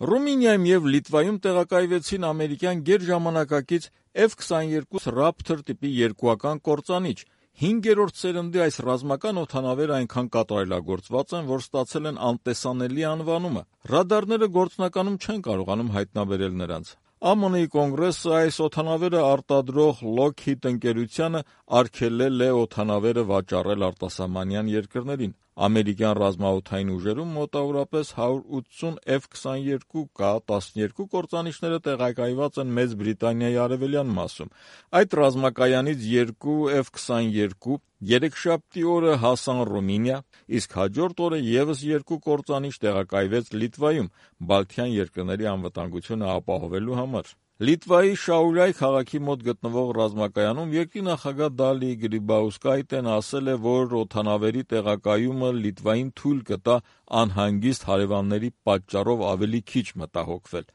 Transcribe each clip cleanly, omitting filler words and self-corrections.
Ռումինիայում եւ Լիտվայում տեղակայվեցին ամերիկյան գերժամանակակից F-22 Raptor տիպի երկուական կործանիչ։ 5-րդ սերնդի այս ռազմական օդանավերը այնքան կատարելագործված են, որ ստացել են անտեսանելի անվանումը։ Ռադարները գործնականում չեն կարողանում հայտնաբերել նրանց։ ԱՄՆ-ի կոնգրեսը այս օդանավերը արտադրող Lockheed ընկերությանը արգելել է օդանավերը վաճառել արտասահմանյան երկրներին։ Ամերիկյան ռազմաօդային ուժերում մոտավորապես 180 F-22K-12 կործանիչները տեղակայված են Մեծ Բրիտանիայի արևելյան մասում։ Այդ ռազմակայանից 2 F-22 երեքշաբթի օրը հասան Ռումինիա, իսկ հաջորդ օրը ևս 2 կործանիչ տեղակայվեց Լիտվայում՝ Բալթյան երկրների անվտանգությունը ապահովելու համար։ Լիտվայի Շաուլյայ քաղաքի մոտ գտնվող ռազմակայանում երկրի նախագահ Դալի Գրիբաուսկայտեն ասել է, որ օդանավերի տեղակայումը Լիտվային թույլ կտա անհանգիստ հարևանների պատճառով ավելի քիչ մտահոգվել։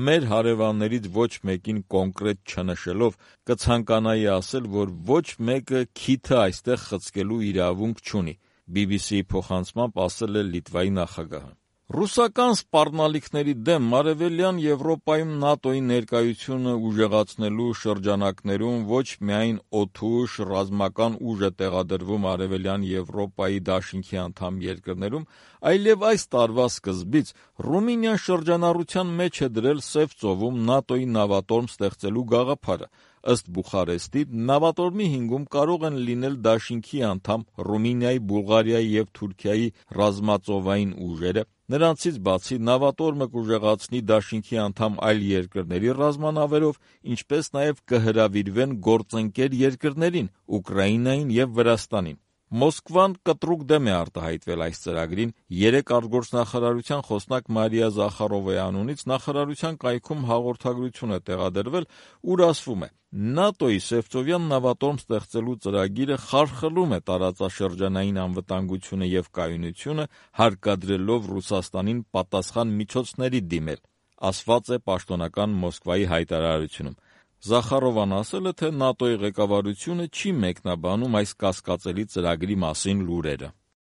Մեր հարևաններից ոչ մեկին կոնկրետ չնշելով, կցանկանայի ասել, որ ոչ մեկը քիթը այստեղ խցկելու իրավունք չունի, BBC-ի փոխանցմամբ ասել է Լիտվայի նախագահը։ Ռուսական սպառնալիքների դեմ Արևելյան Եվրոպայում ՆԱՏՕ-ի ներկայությունը ուժեղացնելու շրջանակներում ոչ միայն օդուժ, ռազմական ուժ է տեղադրվում Արևելյան Եվրոպայի դաշինքի անդամ երկրներում, այլև այս տարվա սկզբից Ռումինիան շրջանառության մեջ է դրել Սև ծովում ՆԱՏՕ-ի նավատորմ ստեղծելու գաղափարը։ Ըստ Բուխարեստի, նավատորմի հիմքում կարող են լինել դաշինքի անդամ Ռումինիայի, Բուլղարիայի և Թուրքիայի ռազմածովային ուժերը։ Նրանցից բացի նավատորմը կուժեղացնի դաշինքի անդամ այլ երկրների ռազմանավերով, ինչպես նաև կհրավիրվեն գործընկեր երկրներին՝ Ուկրաինային և Վրաստանին։ Մոսկվան կտրուկ դեմ է արտահայտվել այս ծրագրին։ 3 արտգործնախարարության խոսնակ Մարիա Զախարովայի անունից նախարարության կայքում հաղորդագրություն է տեղադրվել, ուր ասվում է. ՆԱՏՕ-ի Սևծովյան նավատորմ ստեղծելու ծրագիրը խարխլում է տարածաշրջանային անվտանգությունը և կայունությունը, հարկադրելով Ռուսաստանին պատասխան միջոցների դիմել, ասված է պաշտոնական Մոսկվայի հայտարարությունում։ Զախարովան ասել է, թե ՆԱՏՕ-ի ղեկավարությունը չի մեկնաբանում այս կասկածելի ծրագրի մասին լուրերը։